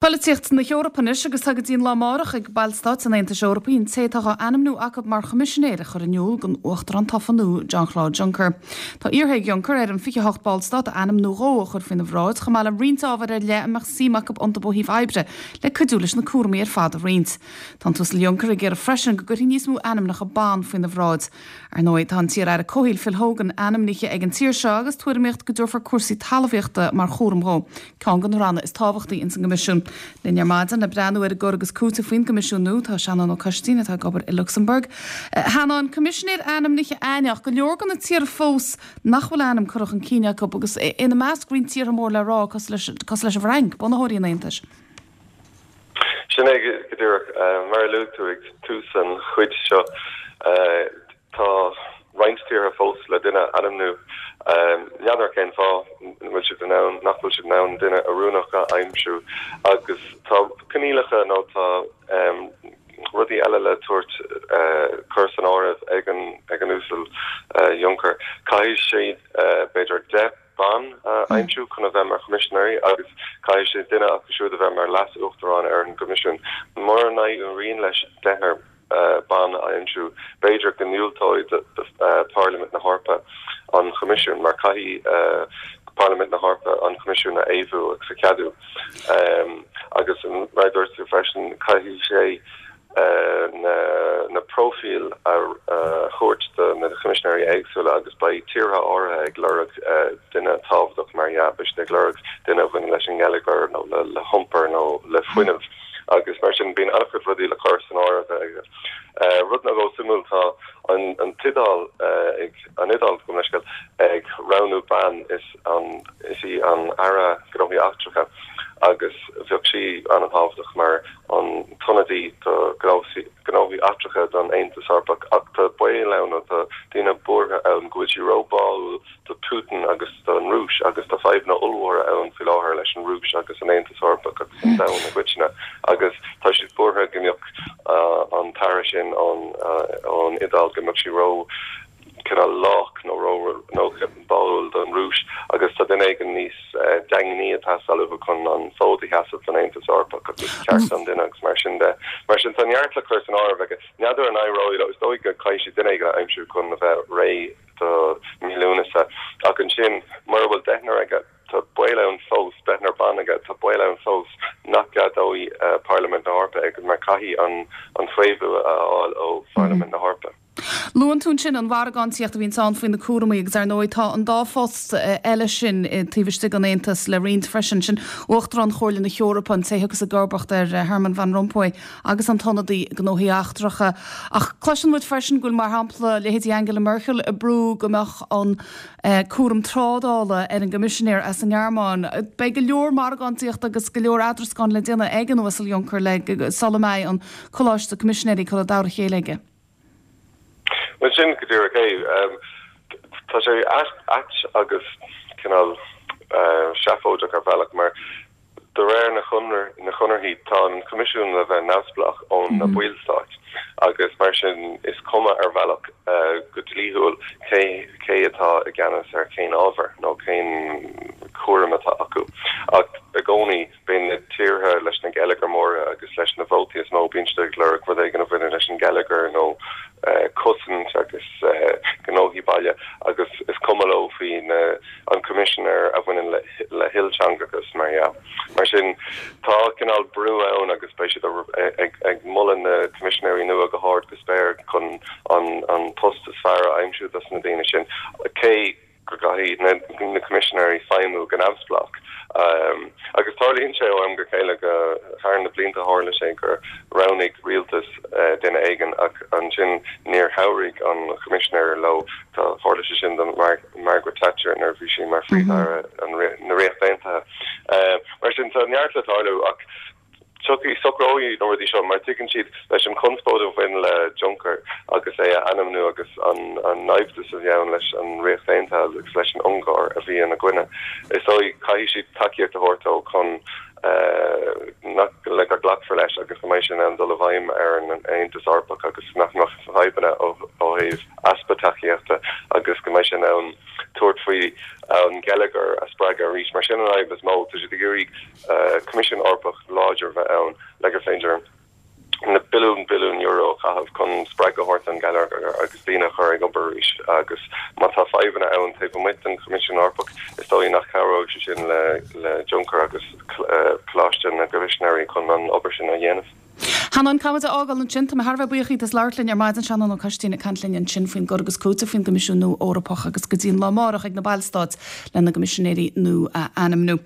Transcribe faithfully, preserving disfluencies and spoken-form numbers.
Polaitíocht na hEorpa anois agus tá go dtí an lá amárach ag Ballstáit an Aontais Eorpaigh an té atá á ainmniú acu mar choimisinéir a chur in iúl don Uachtarán tofa nua Jean-Claude Juncker. Tá iarrtha ag Juncker ar an fiche hocht Ballstát a ainm nó dhó a chur faoina bhráid chomh maith le roinnt ábhar ar leith a mbeadh suim acu iontu ó thaobh oibre le cuidiú leis na cúraimí ar fad a roinnt. Tá an tUasal Juncker ag iarraidh freisin go gcuirfí níos mó ainmneacha ban faoina bhráid. Ar ndóigh tá an t-iar-aire comhshaoil Phil Hogan ainmnithe ag an tír seo agus tuairimíocht go dtabharfar cúrsaí talmhaíochta mar chúram dó, ceann de na ranna is tábhachtaí ins an gCoimisiún. Linn ar maidin le breathnú ar an gcur agus cúiteamh faoin gCoimisiún nua tá Seanán Ó Coistín atá ag obair i Lucsamburg. Sheanáin coimisinéir ainmnithe ach go leor de na tíortha fós nach bhfuil ainm curtha chun cinn acu agus ina measc roinnt tíortha mór le rá cosúil leis an bhFrainc, bunaitheoirí an Aontais. Sin é go díreach mar a luaigh tú ag tús an chuid seo tá roinnt tíortha fós le duine a ainmniú n'fheadar cén fáth bhfuil siad in ann nach bhfuil siad in ann duine oiriúnach a aimsiú agus tá coinníollacha nó tá um, rudaí eile le tabhairt uh, cur san áireamh ag an ag an uasal uh, Juncker. Caithfidh sé uh, b'fhéidir deich ban uh, aimsiú chun a bheith mar choimisinéirí agus caithfidh sé duine acu siúd a bheith mar leas-uachtarán ar an gCoimisiún. Mura n-éiríonn leis deichniúr uh, ban a aimsiú b'fhéidir go ndiúltóidh uh, Parlaimint na hEorpa an Choimisiún mar caithfidh uh, Parlaimint na hEorpa an Coimisiún a fhaomhadh agus a cheadú. Um, agus mar dúirt tú freisin caithfidh sé uh, na, na profil a uh, thabhairt do na coimisinéirí éagsúla agus beidh tíortha áirithe ag lorg uh, duine tábhachtach mar dhea beidh ag lorg duine a bhaineann leis an ngeilleagar nó le, le hiompar nó le fuinneamh. agus mar sin bíonn an-chuid rudaí le cur san áireamh aige. Uh, rud nó suimiúil tá an, an tIodáil uh, ag an Iodáil go leisceil ag roghnú bean is an is í an Aire Gnóthaí Eachtracha agus bheadh sí an-tábhachtach mar an t-ionadaí do gnóthaí eachtracha don Aontas Eorpach ach tá baol ann tá daoine buartha ann go bhfuil sí róbháúil do Putin agus don Rúis agus tá fadhbanna ollmhóra ann faoi láthair leis an Rúis agus an Aontas Eorpach agus an domhan i gcoitinne agus tá siad buartha go mbeadh uh, an t-aire sin an uh, an Iodáil go mbeadh sí ró cineál lách nó ró nó báúil don Rúis agus tá duine éigin níos uh, daingní atá chun an fód a sheasamh don Aontas Eorpach agus ceart an duine agus mar sin de mar sin tá neart le cur san áireamh aige n'fheadar an éireoidh is dóigh go caithfidh sé duine éigin a aimsiú chun a bheith réidh do mí Lúnasa ach ansin mura bhfuil deichniúr aige tá baol ann fós deichniúr ban aige tá baol ann fós nach gceadóidh uh, Parlaimint na hEorpa ag mar caithfidh an an faomhadh a fháil ó Pharlaimint na hEorpa. Luann tú sin an mhargáintíocht a bhíonn ann faoi na cúraimí agus ar ndóigh tá an dá phost eile sin taobh istigh den Aontas le roinnt freisin sin Uachtarán Chomhairle na hEorpa an té agus a gurbacht ar Herman van Rompuy agus an t-ionadaí gnóthaí eachtracha. Ach cloiseann muid freisin go bhfuil mar shampla leithéidí Angela Merkel ag brú go mbeadh an eh, cúram trádála ar an gcoimisinéir as an nGearmáin. Beidh go leor margáintíocht agus go leor eadrascáin le déanamh ag an Uasal Juncker le sula mbeidh an coláiste coimisinéirí curtha dá chéile aige. Well sin go díreach é um, tá sé ait agus cineál uh, seafóideach ar bhealach mar de réir na chonradh na conarthaí tá an Coimisiún le bheith neamhspleách ón na mm -hmm. Ballstáit agus mar sin is cuma ar bhealach uh, go dlíthiúil cé cé atá i gceannas ar cén ábhar nó cén cúram atá acu ach i gcónaí bíonn na tíortha leis na geilleagair móra agus leis na vótaí is mó bíonn siad ag lorg rud éigin a bhaineann leis an geilleagar nó uh, cosaint agus uh, gnóthaí baile agus is cuma leo faoi an coimisinéir a bhaineann le, le hilteangachas mar dhea. Mar sin tá cineál brú ann agus beidh siad ag, ag moladh na coimisinéirí nua go hard go spéir chun an, an post is fearr a aimsiú dos na daoine sin. Cé go gcaithfidh na, na coimisinéirí feidhmiú go neamhspleách. Um, agus tarlaíonn sé ó am go chéile go thar na blianta tharla sé gur roghnaigh rialtas uh, duine éigin ach ansin níor chabhraigh an coimisinéir leo tá tharla sé sin don Mar Margaret Thatcher nuair bhí sí mar Phríomh-Aire mm -hmm. na Ríochta Aontaithe. Uh, mar sin tá neart le tarlú ach tiocfaidh socróidh na rudaí seo mar tuigeann siad leis an chonspóid a bhain le Juncker agus é a ainmniú agus an an naimhdeas a bhí ann leis an Ríocht Aontaithe agus leis an Ungáir a bhí ina gcoinne. Is dóigh caithfidh siad tacaíocht a thabhairt dó chun uh, le go nglacfar leis agus go mbeidh sin an dul i bhfeidhm ar an Aontas Eorpach agus nach mbeadh fadhbanna ó thaobh easpa tacaíochta agus go mbeidh sin an tabhairt faoi an geilleagar a spreagadh arís. Mar sin an fhadhb is mó, tá siad ag iarraidh Coimisiún Eorpach láidir a bheith ann le gur féidir na billiún billiún euro a chaitheamh chun spreagadh a thabhairt don gheilleagar agus daoine a chur ag obair arís. Agus má tá fadhbanna ann taobh amuigh den Choimisiún Eorpach, is dóigh nach cabhróidh sé sin le le Juncker agus Coláiste na gCoimisinéirí chun an obair sin a dhéanamh. Seanán, caithfidh muid a fhágáil ansin. Tá mé thar a bheith buíoch díot as labhairt linn ar maidin. Seanán Ó Coistín ag caint linn ansin faoin gcur agus cúiteamh faoin gCoimisiún nua Eorpach agus go dtí an lá amárach ag na Ballstáit lena gCoimisinéirí nua a ainmniú.